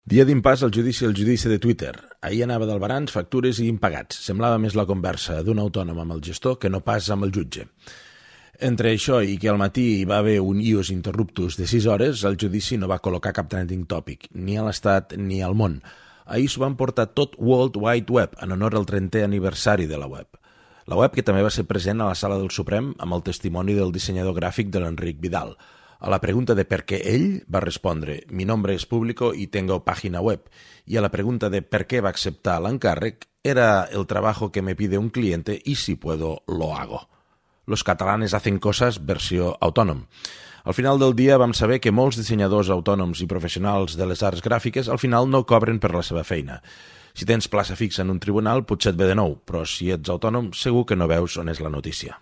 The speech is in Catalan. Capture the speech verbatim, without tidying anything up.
Dia d'impàs al judici al judici de Twitter. Ahir anava d'albarans, factures i impagats. Semblava més la conversa d'un autònom amb el gestor que no pas amb el jutge. Entre això i que al matí hi va haver un ius interruptus de sis hores, el judici no va col·locar cap trending topic, ni a l'Estat ni al món. Ahir s'ho van portar tot World Wide Web, en honor al trentè aniversari de la web. La web que també va ser present a la sala del Suprem amb el testimoni del dissenyador gràfic de l'Enric Vidal. A la pregunta de per què ell va respondre «Mi nombre es público y tengo página web» i a la pregunta de per què va acceptar l'encàrrec «Era el trabajo que me pide un cliente y si puedo lo hago». Los catalanes hacen cosas versió autònom. Al final del dia vam saber que molts dissenyadors autònoms i professionals de les arts gràfiques al final no cobren per la seva feina. Si tens plaça fixa en un tribunal potser et ve de nou, però si ets autònom segur que no veus on és la notícia.